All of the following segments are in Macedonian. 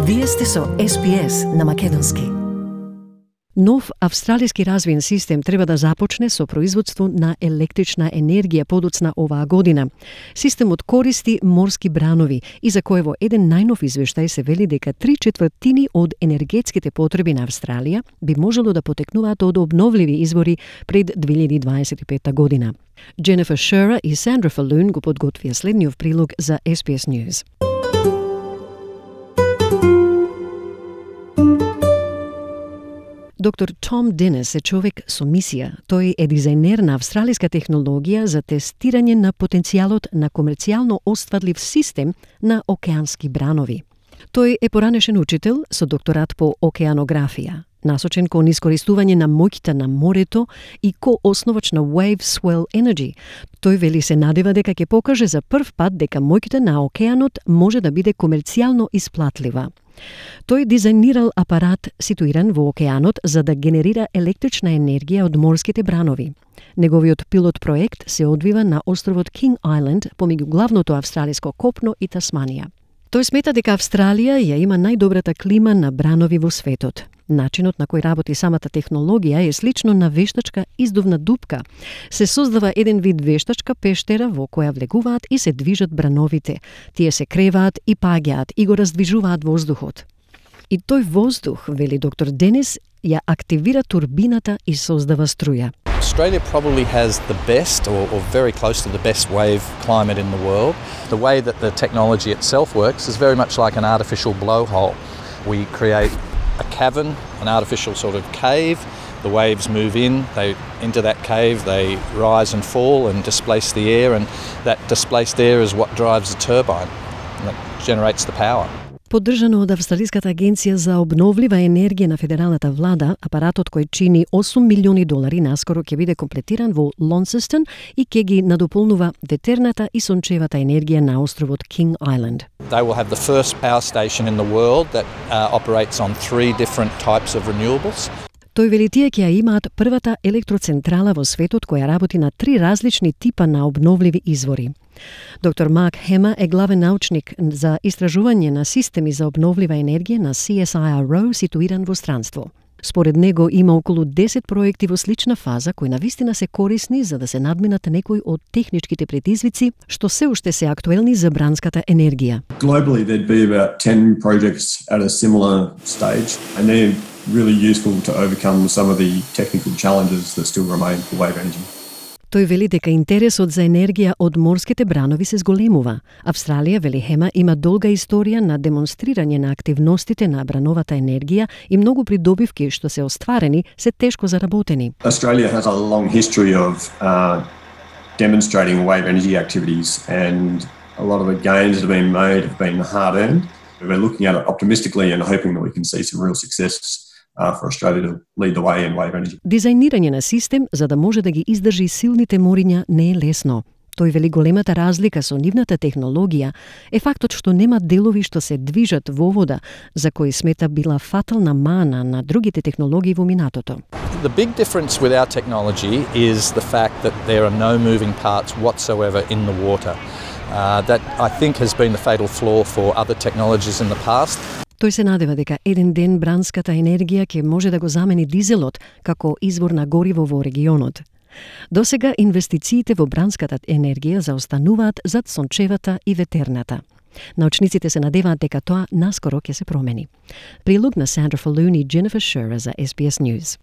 Вие сте со SPS на македонски. Нов австралиски развоен систем треба да започне со производство на електрична енергија подоцна оваа година. Системот користи морски бранови и за кој во еден најнов извештај се вели дека 3/4 од енергетските потреби на Австралија би можело да потекнуваат од обновливи извори пред 2025 година. Jennifer Shearer и Sandra Falloon го подготвија следниот прилог за SPS News. Доктор Том Денис е човек со мисија. Тој е дизајнер на австралиска технологија за тестирање на потенцијалот на комерцијално остварлив систем на океански бранови. Тој е поранешен учител со докторат по океанографија, насочен кон искористување на моќта на морето и ко-основач на Wave Swell Energy. Тој вели се надева дека ќе покаже за прв пат дека моќта на океанот може да биде комерцијално исплатлива. Тој дизајнирал апарат ситуиран во океанот за да генерира електрична енергија од морските бранови. Неговиот пилот проект се одвива на островот King Island помеѓу главното австралиско копно и Тасманија. Тој смета дека Австралија ја има најдобрата клима на бранови во светот. Начинот на кој работи самата технологија е слично на вештачка издувна дупка. Се создава еден вид вештачка пештера во која влегуваат и се движат брановите. Тие се креваат и паѓаат и го раздвижуваат воздухот. И тој воздух, вели доктор Денис, ја активира турбината и создава струја. Australia probably has the best or very close to the best wave climate in the world. The way that the technology itself works is very much like an artificial blowhole. We create a cavern, an artificial sort of cave. The waves move into that cave, they rise and fall and displace the air, and that displaced air is what drives the turbine and that generates the power. Поддржано од Австралиската агенција за обновлива енергија на федералната влада, апаратот кој чини $8 милиони наскоро ќе биде комплетиран во Launceston и ќе ги надополнува ветерната и сончевата енергија на островот King Island. They will have the first power station in the world that operates on 3 different types of renewables. Тој вели тие ќе ја имаат првата електроцентрала во светот која работи на 3 различни типа на обновливи извори. Доктор Марк Хема е главен научник за истражување на системи за обновлива енергија на CSIRO ситуиран во странство. Според него има околу 10 проекти во слична фаза кои навистина се корисни за да се надминат некои од техничките предизвици што се уште се актуелни за бранската енергија. Globally there'd be about 10 projects at a similar stage and they're really useful to overcome some of the technical challenges that still remain for wave energy. Тој вели дека интересот за енергија од морските бранови се зголемува. Австралија, вели Хема, има долга историја на демонстрирање на активностите на брановата енергија и многу придобивки што се остварени се тешко заработени. Australia has a long history of demonstrating wave energy activities and a lot of the gains that have been made have been hard-earned. We're looking at it optimistically and hoping that we can see some real success for Australia to lead the way in wave energy. Дизајнирање на систем за да може да ги издржи силните мориња не е лесно. Тој вели големата разлика со нивната технологија е фактот што нема делови што се движат во вода, за кои смета била фатална мана на другите технологии во минатото. The big difference with our technology is the fact that there are no moving parts whatsoever in the water. That I think has been the fatal flaw for other technologies in the past. Тој се надева дека еден ден бранската енергија ќе може да го замени дизелот како извор на гориво во регионот. Досега инвестициите во бранската енергија заостануваат зад сончевата и ветерната. Научниците се надеваат дека тоа наскоро ќе се промени. Прилог на Sandra Falloon и Jennifer Shearer за SBS News.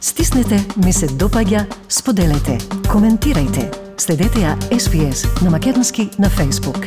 Стиснете, ми се допаѓа, споделете, коментирајте. Следете ја SPS на македонски на Facebook.